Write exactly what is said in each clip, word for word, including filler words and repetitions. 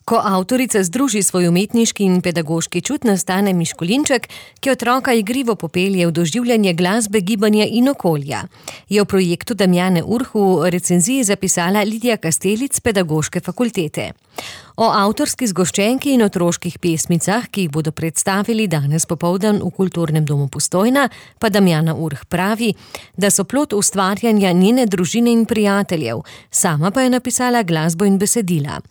Ko avtorica združi svoj umetniški in pedagoški čut, nastane Miškolinček, ki otroka igrivo popelje v doživljanje glasbe, gibanja in okolja. Je v projektu Damjane Urh v recenziji zapisala Lidija Kastelic s Pedagoške fakultete. O avtorski zgoščenki in otroških pesmicah, ki jih bodo predstavili danes popoldan v Kulturnem domu Postojna, pa Damjana Urh pravi, da so plod ustvarjanja njene družine in prijateljev, sama pa je napisala glasbo in besedila.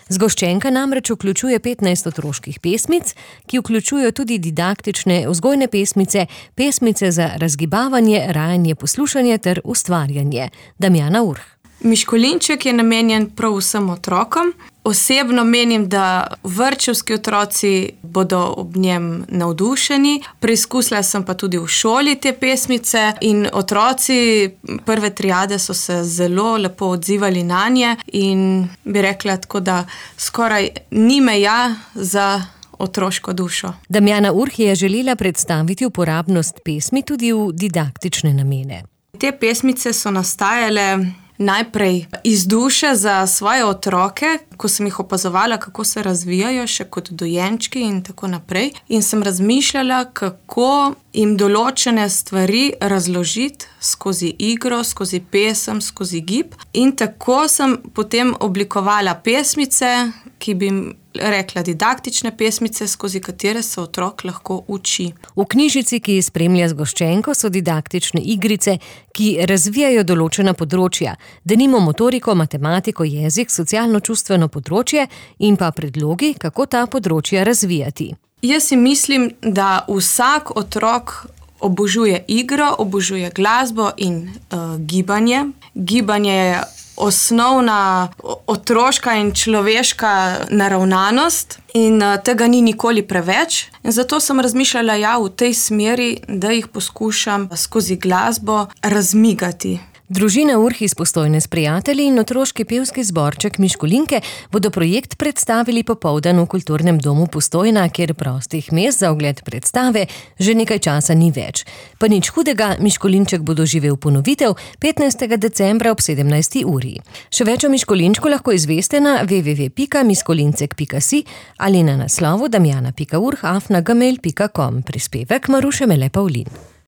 Zgoščenka namreč vključuje petnajst otroških pesmic, ki vključujejo tudi didaktične vzgojne pesmice, pesmice za razgibavanje, rajanje, poslušanje ter ustvarjanje. Damjana Urh. Miškolinček je namenjen prav vsem otrokom. Osebno menim, da vrtčevski otroci bodo ob njem navdušeni. Preizkusila sem pa tudi v šoli te pesmice in otroci prve triade so se zelo lepo odzivali nanje in bi rekla tako, da skoraj ni meja za otroško dušo. Damjana Urh je želela predstaviti uporabnost pesmi tudi v didaktične namene. Te pesmice so nastajale najprej iz duše za svoje otroke, ko sem jih opazovala, kako se razvijajo še kot dojenčki in tako naprej. In sem razmišljala, kako jim določene stvari razložiti skozi igro, skozi pesem, skozi gib. In tako sem potem oblikovala pesmice, ki bi jim rekla didaktične pesmice, skozi katere se otrok lahko uči. V knjižici, ki spremlja zgoščenko, so didaktične igrice, ki razvijajo določena področja, denimo motoriko, matematiko, jezik, socialno-čustveno področje in pa predlogi, kako ta področja razvijati. Jaz si mislim, da vsak otrok obožuje igro, obožuje glasbo in uh, gibanje. Gibanje je osnovna otroška in človeška naravnanost in tega ni nikoli preveč. In zato sem razmišljala ja, v tej smeri, da jih poskušam skozi glasbo razmigati. Družina Urh iz Postojne s prijatelji in otroški pevski zborček Miškolinke bodo projekt predstavili popoldan v Kulturnem domu Postojna, kjer prostih mest za ogled predstave že nekaj časa ni več. Pa nič hudega, Miškolinček bo doživel ponovitev petnajstega decembra ob sedemnajsti uri. Še več o Miškolinčku lahko izveste na w w w pika miškolincek pika si ali na naslovu damjana pika urh afna gmail pika com. Prispevek Maruše Mele Pavlin.